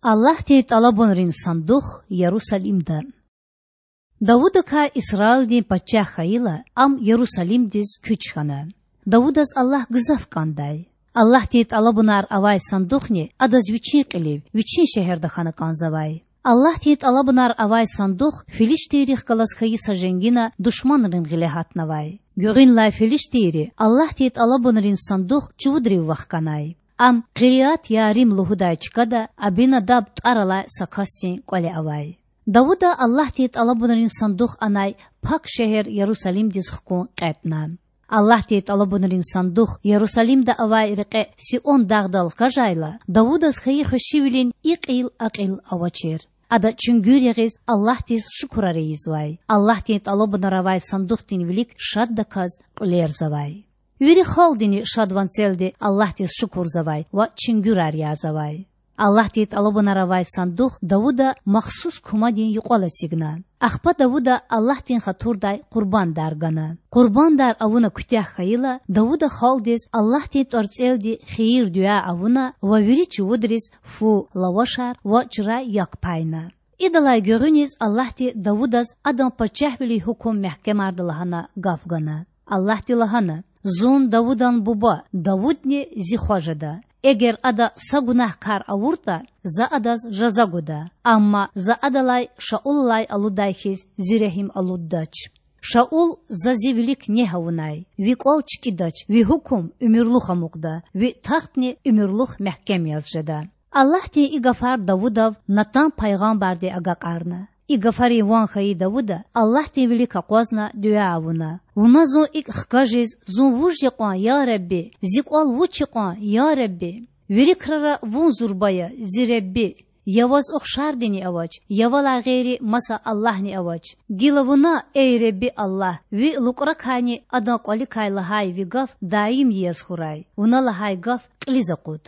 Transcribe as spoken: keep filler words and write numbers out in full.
Аллагьдин тӀалабунрин сандух Ярусалимда. Давудакай Исраилдин пачагь хьайила, ам Ярусалимдиз куьч хьана. Давудаз Аллагь гзаф кӀандай. Аллагьдин тӀалабунар авай сандухни адаз вичин кьилив, вичин шегьерда хьана кӀанзавай. Аллагьдин тӀалабунар авай сандух филиштийрихъ галаз хьайи са женгина душманрин гъиле гьатнавай. Гуьгъуьнлай филиштийри Аллагьдин тӀалабунрин сандух чувудрив вахканай. Ам Къириат-Ярим лугьудай чкада Абинадаб тӀвар алай са касдин кӀвале авай. Давуда Аллагьдин тӀалабунрин сандух анай пак шегьер Ярусалимдиз хкун кьетӀна. Аллагьдин тӀалабунрин сандух Ярусалимда авай рекье Сион дагъдал хкажайла, Давудаз хьайи хвешивилин и кьил а кьил авачир. Ада чуьнгуьр ягъиз Аллагьдиз шукурар ийизвай. Аллагьдин тӀалабунар авай сандухдин вилик шаддаказ кьуьлерзавай. Вири халкьдини шад ванцелди Аллагьдиз шукурзавай ва чуьнгуьрар язавай. Аллагьдин тӀалабунар авай сандух Давуда махсус кумадин юкьвал эцигна. Ахпа Давуда Аллагьдин хатурдай къурбандар гана. Къурбандар авуна куьтягь хьайила, Давуда халкьдиз Аллагьдин тӀварцӀелди хийир-дуьа авуна ва вири чувудриз фу, лавашар ва чрай як пайна. Идалай гуьгъуьниз Аллагьди Давудаз адан пачагьвилин гьукум мягькемарда лагьана гаф гана. Аллагьди лагьана: Зун Давудан буба, Давудни Зи хва жеда. Эгер ада са гунагь кар авуртӀа, За адаз жаза гуда. Амма За адалай Шаулалай алудай хьиз Зи регьим алуддач. Шаул За Зи вилик негь авунай, ви кӀвал чкӀидач, ви гьукум уьмуьрлух амукьда, ви тахтни уьмуьрлух мягькем яз жеда. Аллагьдин и гафар Давудав Натан пайгъамбарди агакьарна. И гафарин ван хьайи Давуда Аллагьдин вилик акъвазна дуьа авуна: Вуна зун икӀ хкажиз, зун вуж я кьван, я Худа? Зи кӀвал вуч я кьван, я Худа? Вири крара Вун зурба я, зи Худа. Я Ваз ухшардини авач, я Валай гъейри маса Аллагьни авач. Гила Вуна, эй Худа Аллагь, Ви лукӀракайни адан кӀваликай лагьай Ви гаф даимди яз хьурай, Вуна лагьай гаф кьилиз акъуд.